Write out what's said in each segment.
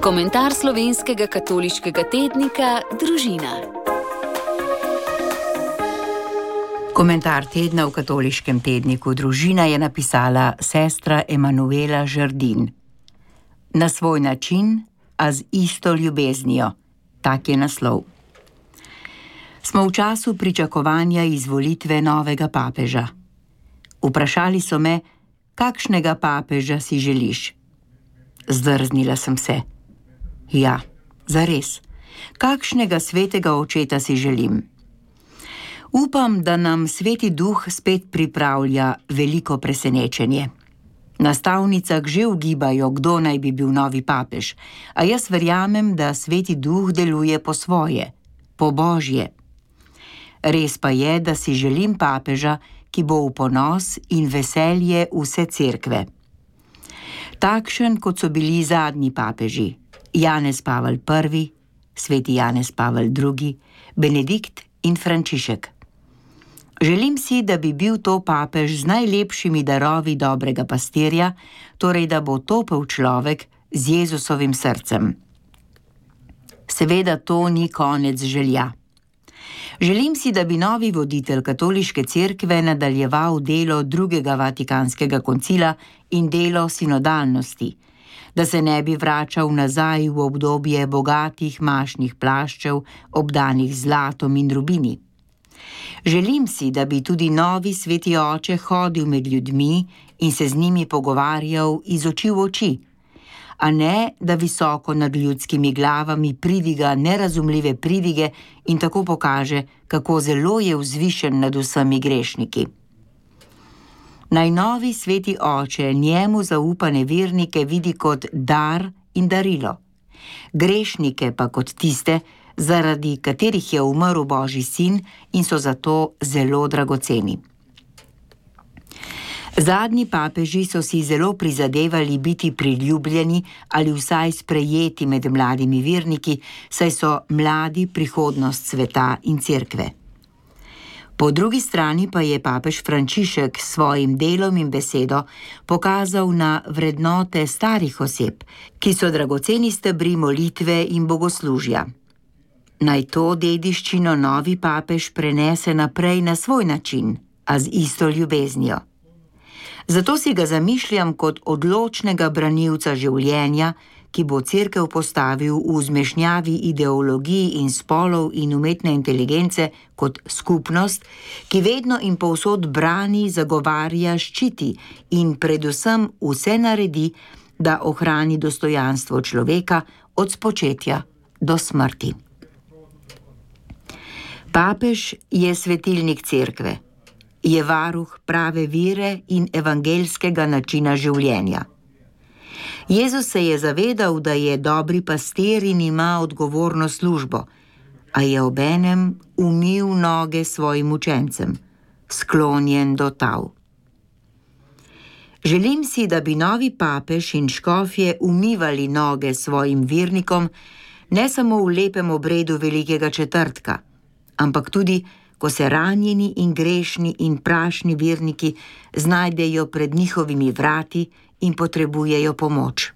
Komentar slovenskega katoliškega tednika Družina. Komentar tedna v katoliškem tedniku Družina je napisala sestra Emanuela Žerdin. Na svoj način, a z isto ljubeznijo. Tak je naslov. Smo v času pričakovanja izvolitve novega papeža. Vprašali so me, kakšnega papeža si želiš? Zdrznila sem se. Ja, zares. Kakšnega svetega očeta si želim? Upam, da nam Sveti Duh spet pripravlja veliko presenečenje. Na stavnicah že ugibajo, kdo naj bi bil novi papež, a jaz verjamem, da Sveti Duh deluje po svoje, po Božje. Res pa je, da si želim papeža, ki bo v ponos in veselje vse cerkve. Takšen, kot so bili zadnji papeži, Janez Pavel I, sveti Janez Pavel II, Benedikt in Frančišek. Želim si, da bi bil to papež z najlepšimi darovi dobrega pastirja, torej da bo topel človek z Jezusovim srcem. Seveda to ni konec želja. Želim si, da bi novi voditelj katoliške cerkve nadaljeval delo drugega Vatikanskega koncila in delo sinodalnosti, da se ne bi vračal nazaj v obdobje bogatih mašnih plaščev, obdanih zlatom in rubini. Želim si, da bi tudi novi sveti oče hodil med ljudmi in se z njimi pogovarjal iz oči v oči, a ne, da visoko nad ljudskimi glavami pridiga nerazumljive pridige in tako pokaže, kako zelo je vzvišen nad vsemi grešniki. Naj novi sveti oče njemu zaupane vernike vidi kot dar in darilo, grešnike pa kot tiste, zaradi katerih je umrl Božji sin in so zato zelo dragoceni. Zadnji papeži so si zelo prizadevali biti priljubljeni ali vsaj sprejeti med mladimi verniki, saj so mladi prihodnost sveta in cerkve. Po drugi strani pa je papež Frančišek s svojim delom in besedo pokazal na vrednote starih oseb, ki so dragoceni stebri molitve in bogoslužja. Naj to dediščino novi papež prenese naprej na svoj način, a z isto ljubeznijo. Zato si ga zamišljam kot odločnega branilca življenja, ki bo cerkev postavil v zmešnjavi ideologij in spolov in umetne inteligence kot skupnost, ki vedno in povsod brani, zagovarja, ščiti in predvsem vse naredi, da ohrani dostojanstvo človeka od spočetja do smrti. Papež je svetilnik cerkve. Je varuh prave vere in evangeljskega načina življenja. Jezus se je zavedal, da je dobri pastir in ima odgovorno službo, a je obenem umil noge svojim učencem, sklonjen do tal. Želim si, da bi novi papež in škofje umivali noge svojim vernikom, ne samo v lepem obredu Velikega četrtka, ampak tudi, ko se ranjeni in grešni in prašni verniki znajdejo pred njihovimi vrati in potrebujejo pomoč.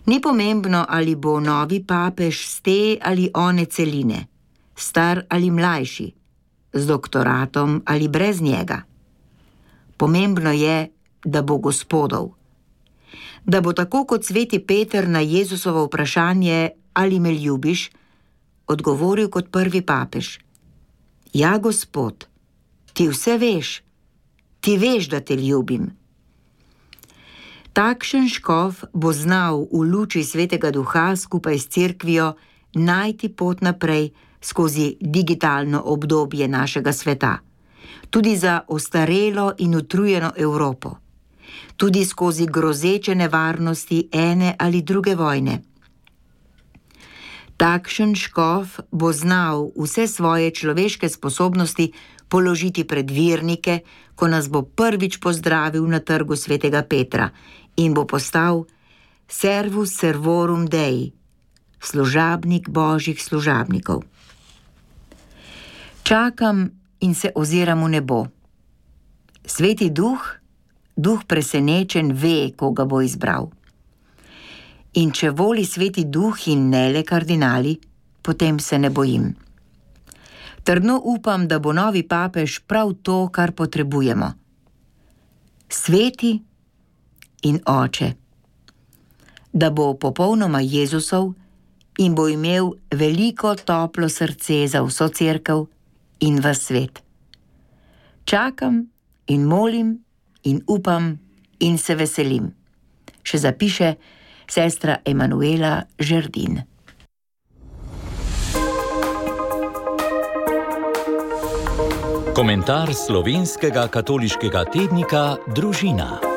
Ni pomembno, ali bo novi papež z te ali one celine, star ali mlajši, z doktoratom ali brez njega. Pomembno je, da bo Gospodov. Da bo tako kot sveti Peter na Jezusovo vprašanje, ali me ljubiš, odgovoril kot prvi papež. Ja, Gospod, ti vse veš, ti veš, da te ljubim. Takšen škof bo znal v luči Svetega Duha skupaj s cerkvijo najti pot naprej skozi digitalno obdobje našega sveta, tudi za ostarelo in utrujeno Evropo, tudi skozi grozeče nevarnosti ene ali druge vojne. Takšen škof bo znal vse svoje človeške sposobnosti položiti pred vernike, ko nas bo prvič pozdravil na trgu svetega Petra in bo postal servus servorum Dei, služabnik Božjih služabnikov. Čakam in se oziram v nebo. Sveti Duh, Duh presenečen, ve, koga bo izbral. In če voli Sveti Duh in ne le kardinali, potem se ne bojim. Trdno upam, da bo novi papež prav to, kar potrebujemo. Sveti in oče. Da bo popolnoma Jezusov in bo imel veliko toplo srce za vso cerkev in ves svet. Čakam in molim in upam in se veselim. Še zapiše sestra Emanuela Žerdin. Komentar slovenskega katoliškega tednika Družina.